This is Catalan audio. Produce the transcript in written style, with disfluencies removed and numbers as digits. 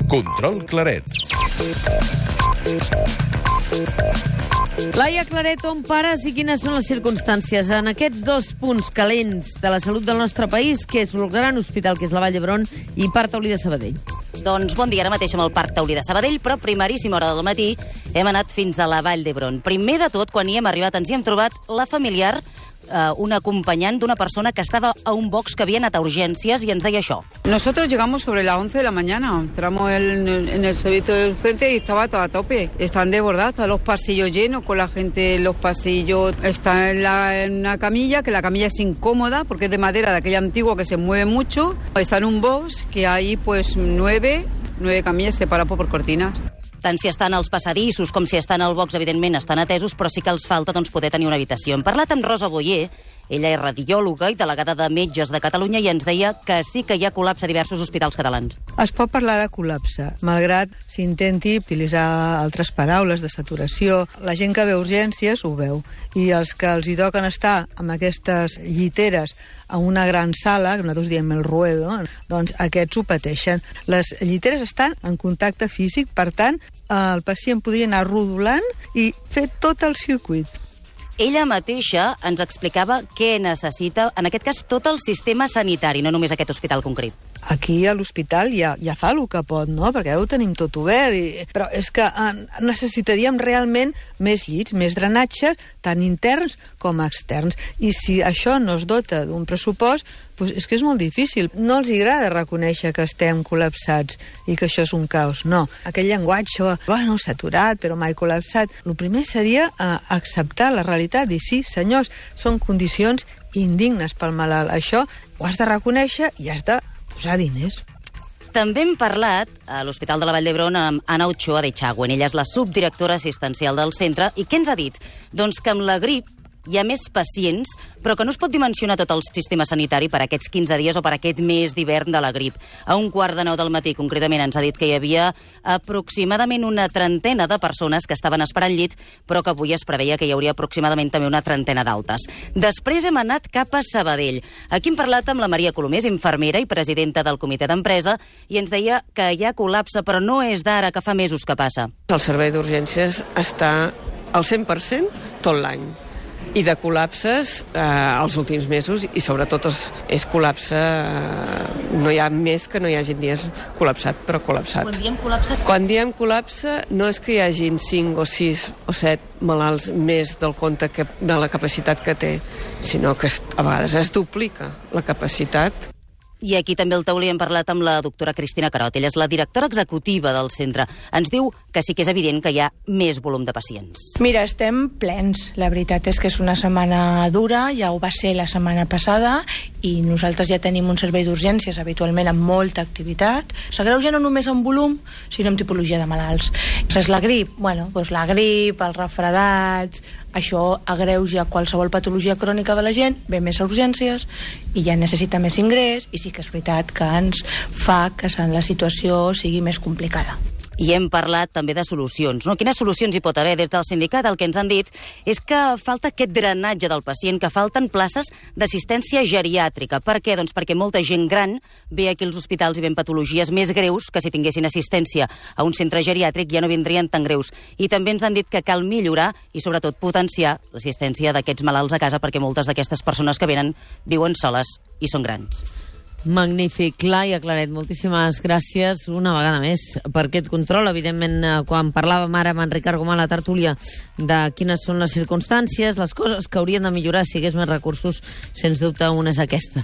Control Claret. Laia Claret, on pares i quines són les circumstàncies en aquests dos punts calents de la salut del nostre país, que és el gran hospital, que és la Vall d'Hebron, i Parc Taulí de Sabadell? Doncs bon dia, ara mateix amb el Parc Taulí de Sabadell, però a primeríssima hora del matí hem anat fins a la Vall d'Hebron. Primer de tot, quan hi hem arribat, ens hi hem trobat la familiar, un acompañant d'una persona que estava a un box que havia anat a urgències i ens deia això. Nosotros llegamos sobre las 11 de la mañana, entramos en el servicio de urgencia y estaba todo a tope. Están desbordados, los pasillos llenos con la gente en los pasillos. Está en una camilla, que la camilla es incómoda porque es de madera, de aquella antigua que se mueve mucho. Está en un box que hay pues nueve camillas separadas por cortinas. Tant si estan als passadissos com si estan al box, evidentment, estan atesos, però sí que els falta poder tenir una habitació. Hem parlat amb Rosa Boyer, ella és radiòloga i delegada de Metges de Catalunya, i ens deia que sí que hi ha col·lapse a diversos hospitals catalans. Es pot parlar de col·lapse, malgrat s'intenti utilitzar altres paraules de saturació. La gent que ve a urgències ho veu, i els que els hi toquen estar amb aquestes lliteres a una gran sala, que nosaltres diem el ruedo, doncs aquests ho pateixen. Les lliteres estan en contacte físic, per tant, el pacient podria anar rodolant i fer tot el circuit. Ella mateixa ens explicava què necessita, en aquest cas, tot el sistema sanitari, no només aquest hospital concret. Aquí a l'hospital ja fa el que pot, no? Perquè ara ho tenim tot obert, però és que necessitaríem realment més llits, més drenatges, tant interns com externs. I si això no es dota d'un pressupost, doncs és que és molt difícil. No els agrada reconèixer que estem col·lapsats i que això és un caos. No, aquell llenguatge, bueno, saturat, però mai col·lapsat. El primer seria acceptar la realitat, dir sí, senyors, són condicions indignes pel malalt. Això ho has de reconèixer i has de posar diners. També hem parlat a l'Hospital de la Vall d'Hebron amb Ana Ochoa de Chagüen. Ella és la subdirectora assistencial del centre. I què ens ha dit? Doncs que amb la grip hi ha més pacients, però que no es pot dimensionar tot el sistema sanitari per aquests 15 dies o per aquest mes d'hivern de la grip. A 8:45 del matí, concretament, ens ha dit que hi havia aproximadament una trentena de persones que estaven esperant llit, però que avui es preveia que hi hauria aproximadament també una trentena d'altes. Després hem anat cap a Sabadell. Aquí hem parlat amb la Maria Colomés, infermera i presidenta del comitè d'empresa, i ens deia que hi ha col·lapse, però no és d'ara, que fa mesos que passa. El servei d'urgències està al 100% tot l'any. I de col·lapses els últims mesos, i sobretot és col·lapse, no hi ha més que no hi hagin dies col·lapsat, però col·lapsat. Quan diem col·lapse? Quan diem col·lapse no és que hi hagin 5 o 6 o 7 malalts més del compte de la capacitat que té, sinó que a vegades es duplica la capacitat. I aquí també al taulí hem parlat amb la doctora Cristina Carot. Ella és la directora executiva del centre. Ens diu que sí que és evident que hi ha més volum de pacients. Mira, estem plens. La veritat és que és una setmana dura, ja ho va ser la setmana passada, i nosaltres ja tenim un servei d'urgències habitualment amb molta activitat. S'agreuja no només en volum, sinó en tipologia de malalts. És la grip? Bueno, doncs la grip, els refredats, això agreuja qualsevol patologia crònica de la gent, ve més a urgències i ja necessita més ingrés, i sí que és veritat que ens fa que la situació sigui més complicada. I hem parlat també de solucions, no? Quines solucions hi pot haver? Des del sindicat el que ens han dit és que falta aquest drenatge del pacient, que falten places d'assistència geriàtrica. Per què? Doncs perquè molta gent gran ve aquí als hospitals i ven patologies més greus que si tinguessin assistència a un centre geriàtric ja no vindrien tan greus. I també ens han dit que cal millorar i sobretot potenciar l'assistència d'aquests malalts a casa, perquè moltes d'aquestes persones que venen viuen soles i són grans. Magnífic. Laia Claret, moltíssimes gràcies una vegada més per aquest control. Evidentment, quan parlàvem ara amb en Ricard Gomà a la tertúlia de quines són les circumstàncies, les coses que haurien de millorar si hi hagués més recursos, sens dubte una és aquesta.